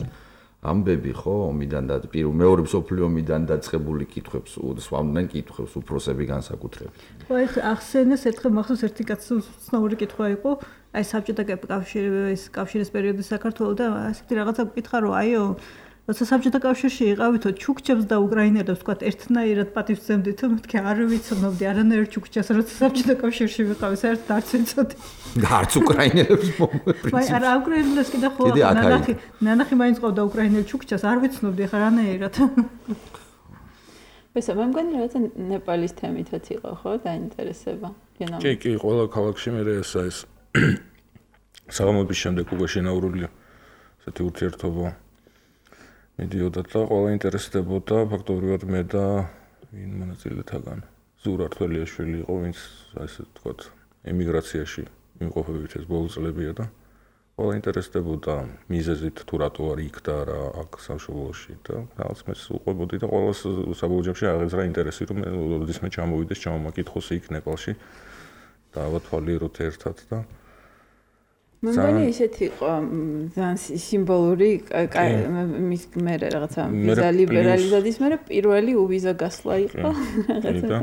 ამბები ხო ომიდან და პირველ მეორე მსოფლიო ომიდან დაწყებული კითხვებს სვამდნენ კითხვებს უფროსები განსაკუთრებით ხო ეს ახსენეს ერთხელ მახსოვს ერთი კაცი ცნობილი კითხვა იყო აი საბჭოთა კავშირის კავშირის პერიოდის საქართველოს და ასეთი რაღაცა გკითხა რომ აიო როცა საბჭოთა კავშირში იყავითო ჩუქჩებს და უკრაინელებს თქვა ერთნაირად პატივცემდით მეთქე არ ვიცნობდი არანაირ ჩუქჩას როცა საბჭოთა კავშირში ვიყავი საერთოდ არც ვიცოდი და არც უკრაინელებს მომეპრინციპი აი არა უკრაინელებს კიდე ხო ნანახი ნანახი მაინც ყავდა უკრაინელ ჩუქჩას არ ვიცნობდი ხა რანაირად ესე მე მგონი რაღაცა ნეპალის თემითაც იყო ხო დაინტერესება კი კი ყველა ქალაქში მე ეს ეს საღამოების შემდეგ უკვე შენაურულია ესეთი ურთიერთობა მიდიოდა და ყველა ინტერესდებოდა ფაქტობრივად მე და ვინ მონაწილეთაგან ზურა რთველიაშვილი იყო, ვინც ასე ვთქვათ, ემიგრაციაში იმყოფებებით ეს ბოლო წლებია და ყველა ინტერესდებოდა მიზეზით თუ რატო არ იქ და რა აქ სამშობლოში და რაღაც მეც უყვებოდი და ყველას საბოლოო ჯამში აღეძრა ინტერესი რომ როდის მე ჩამოვიდეს, ჩამომაკითხოს იქ ნეპალში და ავათვალიეროთ ერთად და მე მგონი ისეთი იყო ძალიან სიმბოლური მის მე რაღაცა ვიზა ლიბერალიზაციის მე პირველი უვიზა გასვლა იყო რაღაცა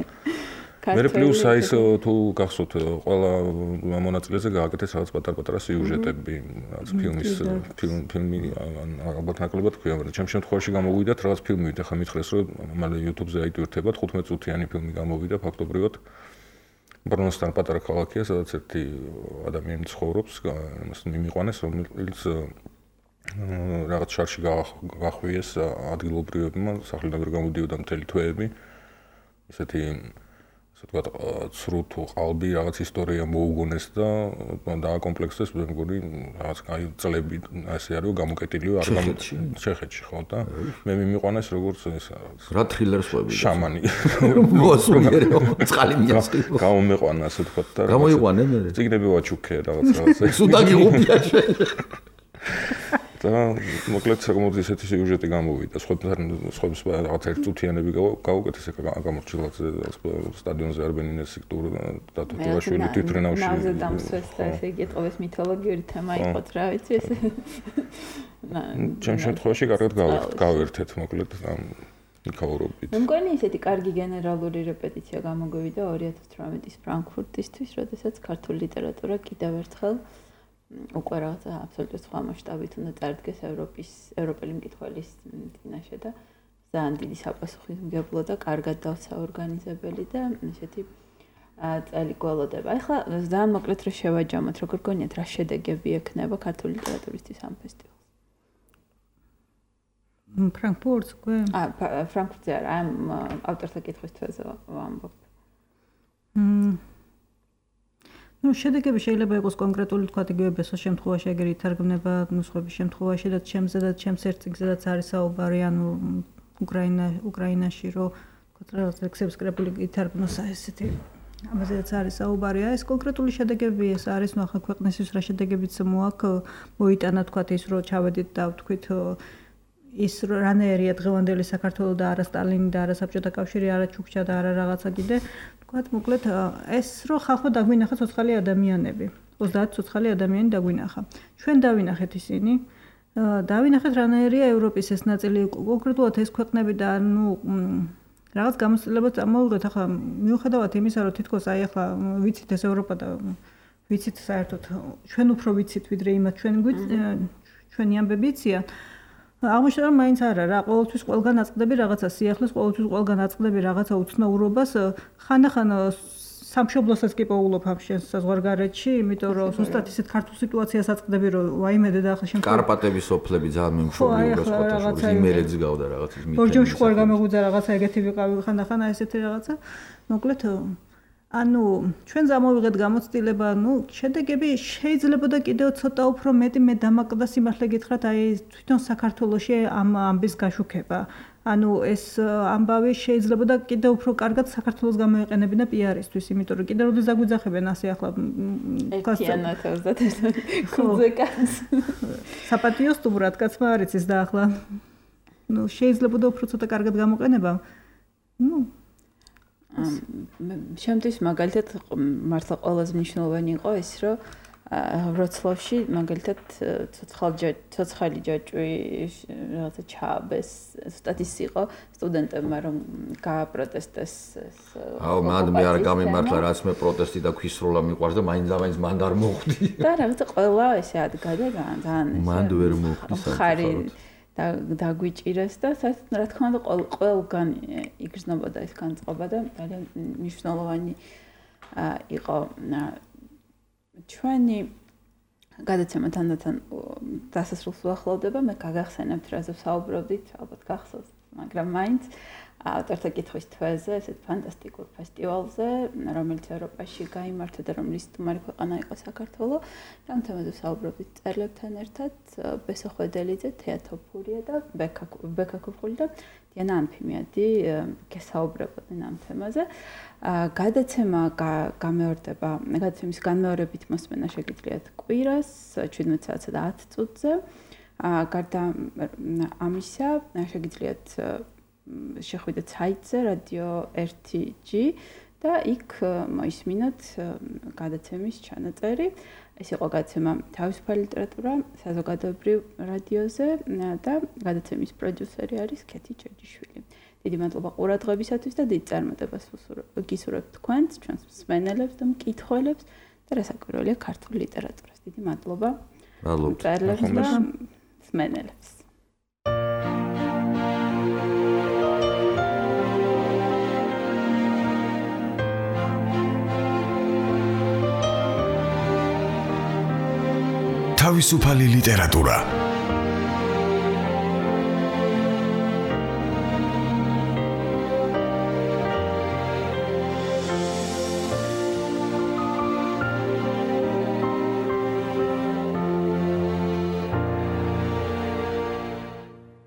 მე პლუს აის თუ გახსოვთ ყველა მონაწილეზე გააკეთეს რაღაც პატარ-პატარა სიუჟეტები რაღაც ფილმის ფილმ ფილმი ალბათ ნაკლებად ქვია მაგრამ ჩემ შემთხვევაში გამოვიდათ რაღაც ფილმი და ხა მითხრეს რომ მალე YouTube-ზე აიტვირთებათ ხუთმეტ წუთიანი ფილმი გამოვიდა ფაქტობრივად ბრონსტან პატარა ქალაქია სადაც ერთი ადამიანი ცხოვრობს იმას მიმიყვანეს რომელიც რაღაც შარში გახვიეს ადგილობრივებმა სახლიდან ვერ გამოდიოდა მთელი თვეები ესეთი ასე ვთქვათ ცრუ თუ ყალბი რაღაც ისტორია მოუგონეს და დააკომპლექსეს მე მგონი რაღაც კაი წლები ასე არის გამოკეტილიო არ ჩეხეთში ხო და მე მიმიყვანეს როგორც ეს რა თრილერს ყვები შამანი მოსულიერო წყალი მიაწყი გამომეყვანა ასე ვთქვათ და გამოიყვანე მე წიგნები ვაჩუქე რაღაც რაღაც სუდაგი გუბია და მოკლედ საკმაოდ ისეთი სიუჟეტი გამოვიდა. სხვებთან სხვებს რაღაც ერთწუთიანები გავუკეთეს ეგ გამორჩილად სტადიონზე არბენინეს სექტორი და თუთუაშვილი თვითრენავში. ნავზე დამსვეს და ესე იგი ეთყობეს მითოლოგიური თემა იყო რა ვიცი ეს. ჩემ შემთხვევაში კარგად გავერთეთ მოკლედ ამ იქაურობით. მე მგონი ისეთი კარგი გენერალური რეპეტიცია გამოგვივიდა ორი ათას თვრამეტის ფრანკფურტისთვის, როდესაც ქართული ლიტერატურა კიდევ ერთხელ უკვე რაღაცა აბსოლუტურად სხვა მასშტაბით უნდა წარდგეს ევროპის ევროპელი მკითხველის წინაშე და ძალიან დიდი საპასუხისმგებლო და კარგად დავსაორგანიზებელი და ესეთი წელი გველოდება. ახლა ძალიან მოკლედ რა შევაჯამოთ, როგორ გონიათ რა შედეგები ექნება ქართული ლიტერატურისთვის ამ ფესტივალს? ფრანკფურტს უკვე? აა ფრანკფურტზე არა, ამ ავტორთა კითხვის თვეზე ვამბობ. მმ ну შედეგები შეიძლება იყოს კონკრეტული თქვა იგივე ბესოს შემთხვევაში ეგრე ითარგმნება ნუსხების შემთხვევაში და ჩემზე და ჩემს ერთიგზედაც არის საუბარი ანუ უკრაინა უკრაინაში რომ თქვა ლექსების კრებული ითარგმნოს ესეთი ამაზეც არის საუბარი ეს კონკრეტული შედეგები ეს არის ნუ ახლა ქვეყნისთვის რა შედეგებიც მოაქვს მოიტანა თქვა ის რომ ჩავედით და ვთქვით ის რანაირია დღევანდელი საქართველოს და არა სტალინი და არა საბჭოთა კავშირი არა ჩუქჩა და არა რაღაცა კიდე თქვათ მოკლედ ეს რომ ხალხმა დაგვინახა ცოცხალი ადამიანები ოცდაათი ცოცხალი ადამიანი დაგვინახა ჩვენ დავინახეთ ისინი დავინახეთ რანაირია ევროპის ეს ნაწილი კონკრეტულად ეს ქვეყნები და ნუ რაღაც გამოცდილებაც ამოვიღეთ ახლა მიუხედავად იმისა რომ თითქოს აი ახლა ვიცით ეს ევროპა და ვიცით საერთოდ ჩვენ უფრო ვიცით ვიდრე იმათ ჩვენ ჩვენი ამბები იციან აღმოჩნდა მაინც არა რა ყოველთვის ყველგან აწყდები რაღაცა სიახლეს ყოველთვის ყველგან აწყდები რაღაცა უცნაურობას ხანდახან სამშობლოსაც კი პოულობ ამ შენს საზღვარგარეთში იმიტომ რომ ზუსტად ისეთ ქართულ სიტუაციას აწყდები რომ ვაიმედე და ახლა შენ კარპატების ოფლები ძალიან მიმშობლიურობს ფოტოშოპის იმერეთს გავდა რაღაც ის მითემი ბორჯომში ხوار გამეგვიძა რაღაცა ეგეთი ვიყავი ხანდახან ესეთი რაღაცა მოკლედ ანუ ჩვენ ზამოვიღეთ გამოცდილება, ну, შედეგები შეიძლება და კიდევ ცოტა უფრო მეტი მე დამაკდა სიმართლე გითხრათ, აი თვითონ საქართველოში ამ ამბის გაშუქება. ანუ ეს ამბავი შეიძლება და კიდევ უფრო კარგად საქართველოს გამოიყენებინა პიარისთვის, იმიტომ რომ კიდევ როდეს დაგვიძახებენ ასე ახლა ეთიანათ ოცდაათი კუძე კაც. საპატიო სტუმრად კაცმა არ იცის და ახლა ну, შეიძლება და უფრო ცოტა კარგად გამოყენება. ну შემთხვევით მაგალითად მართლა ყველაზე მნიშვნელოვანი იყო ის რომ ვროცლავში მაგალითად ცოცხალი ჯაჭვი რაღაცა ჩააბეს ზუსტად ის იყო სტუდენტებმა რომ გააპროტესტეს აუ მან მე არ გამიმართლა რაც მე პროტესტი და ქვისროლა მიყვარს და მაინც და მაინც მან არ მოხვდი და რაღაცა ყველა ესე ადგა და ძალიან მან ვერ მოხვდი ხარი და დაგვიჭირეს და რა თქმა უნდა ყველგან იგრძნობოდა ეს განწყობა და ძალიან მნიშვნელოვანი იყო ჩვენი გადაცემა თანდათან დასასრულს უახლოვდება მე გაგახსენებთ რაზე ვსაუბრობდით ალბათ გახსოვთ მაგრამ მაინც ავტორთა კითხვის თვეზე, ესეთ ფანტასტიკურ ფესტივალზე, რომელიც ევროპაში გაიმართა და რომლის სტუმარი ქვეყანა იყო საქართველო, და ამ თემაზე ვსაუბრობთ წერლებთან ერთად, ბესო ხვედელიძე, თეა თოფურია და ბექა ბექა ქუფხული და დიანა ანფიმიადი გესაუბრებოდნენ ამ თემაზე. გადაცემა გამეორდება, გადაცემის განმეორებით მოსმენა შეგიძლიათ კვირას შვიდმეტ საათსა და ათ წუთზე. გარდა ამისა, შეგიძლიათ შეხვიდეთ საიტზე რადიო ერთი ჯი და იქ მოისმინოთ გადაცემის ჩანაწერი. ეს იყო გადაცემა თავისუფალი ლიტერატურა საზოგადოებრივ რადიოზე და გადაცემის პროდიუსერი არის ქეთი ჯეჯიშვილი. დიდი მადლობა ყურადღებისათვის და დიდ წარმატებას გისურვებთ თქვენს, ჩვენს მსმენელებს და მკითხველებს და რასაკვირველია ქართული ლიტერატურას. დიდი მადლობა. მადლობთ. მწერლებს და მსმენელებს. თავისუფალი ლიტერატურა